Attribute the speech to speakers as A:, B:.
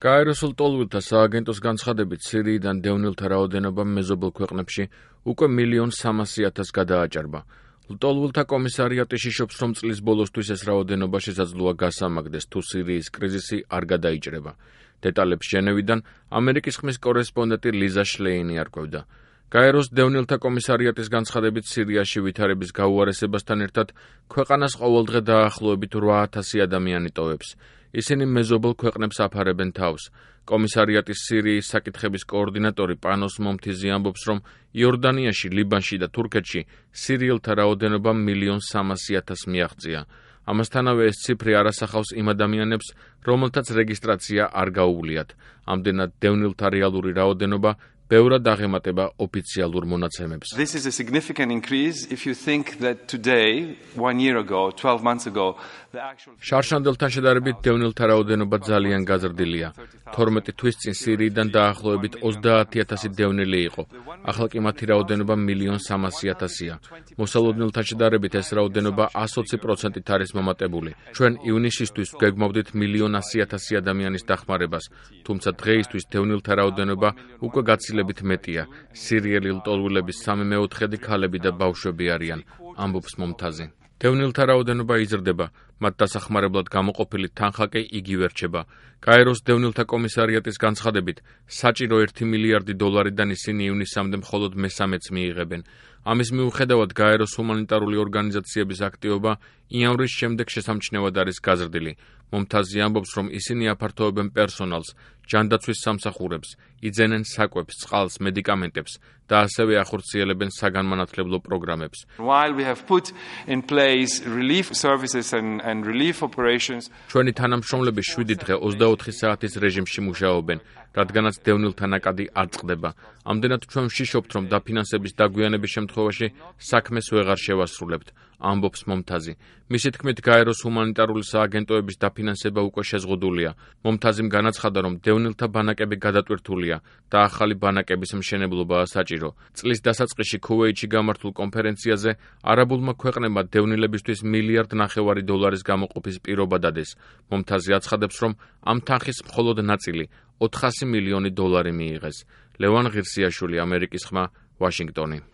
A: გაეროსულ ტოლვილთა სააგენტოს განცხადებით, სირიიდან დევნილთა რაოდენობა მეზობელ ქვეყნებში უკვე 1,300,000 გადააჭარბა. ლტოლვილთა კომისარიატი შიშობს, რომ წლის ბოლოსთვის ეს რაოდენობა შესაძლოა გასამაგდეს, თუ სირიის კრიზისი არ გადაიჭრება. დეტალებს ჟენევიდან ამერიკის ხმის კორესპონდენტი ლიზა შლეინი არკვევდა. გაეროს დევნილთა კომისარიატის განცხადებით, სირიაში ვითარების გაუარესებასთან ერთად ქვეყანას ყოველდღე დაახლოებით 8,000 ადამიანი ტოვებს. ისინი მეზობელ ქვეყნებს აფარებენ თავს. კომისარიატის სირიის საკითხების კოორდინატორი პანოს მომთიზი ამბობს, რომ იორდანიაში, ლიბანში და თურქეთში სირიელთა რაოდენობა 1,300,000 მიაღწია. ამასთანავე ეს ციფრი არ ასახავს იმ ადამიანებს, რომელთაც რეგისტრაცია არ გაუვლიათ. ამდენად დევნილთა რეალური რაოდენობა ბევრად აღემატება ოფიციალურ მონაცემებს.
B: This is a significant increase if you think that today, 1 year ago, 12 months ago, the actual
A: შარშანდელთან შედარებით დევნილთა რაოდენობა ძალიან გაზრდილია. 12 თვის წინ სირიიდან დაახლოებით 30,000 დევნილი იყო. ახლა კი მათი რაოდენობა 1,300,000-ია. მოსალოდნელთან შედარებით ეს რაოდენობა 120%-ით არის მომატებული. ჩვენ ივნისისთვის გვეგმავდით 1,100,000 ადამიანის დახმარებას, თუმცა დღეისთვის დევნილთა რაოდენობა უკვე გაცილებით მეტია. სირიელი ლტოლვილების 3/4 ქალები და ბავშვები არიან, ამბობს მომთაზი. დევნილთა რაოდენობა იზრდება, მათ დასახმარებლად გამოყოფილი თანხა კი იგივე რჩება. გაეროს დევნილთა კომისარიატის განცხადებით, საჭირო 1 მილიარდი დოლარიდან ისინი ივნისამდე მხოლოდ მესამეც მიიღებენ. ამის მიუხედავად, გაეროს ჰუმანიტარული ორგანიზაციების აქტივობა იამვრის შემდეგ შესამჩნევად არის გაზრდილი. მომთაზი ამბობს, რომ ისინი აფართოვებენ პერსონალს, ჯანდაცვის სამსახურებს, იძენენ საკვებს, წყალს, მედიკამენტებს და ასევე ახორციელებენ საგანმანათლებლო პროგრამებს.
B: While we have put in place relief services and relief operations,
A: ჩვენი თანამშრომლები 7 დღე 24 საათის რეჟიმში მუშაობენ, რადგანაც დევნილთა ნაკადი არ წყდება. ამდენად ჩვენ ვშიშობთ, რომ დაფინანსების დაგვიანების შემთხვევაში საქმეს ვეღარ შევასრულებთ, ამბობს მომთაზი. მისი თქმით, გაეროს ჰუმანიტარული სააგენტოების დაფინანსება უკვე შეზღუდულია. მომთაზიმ განაცხადა, რომ დევნილთა ბანაკები გადატვირთულია და ახალი ბანაკების მშენებლობაა საჭირო. წლის დასაწყისში ქუვეითში გამართულ კონფერენციაზე არაბულმა ქვეყნებმა დევნილებისთვის 1,5 დოლარის გამოყოფის პირობა დადეს. მომთაზი აცხადებს, რომ ამ თანხის მხოლოდ ნაწილი 400 მილიონი დოლარი მიიღეს. ლევან ღირსიაშვილი, ამერიკის ხმა, ვაშინგტონი.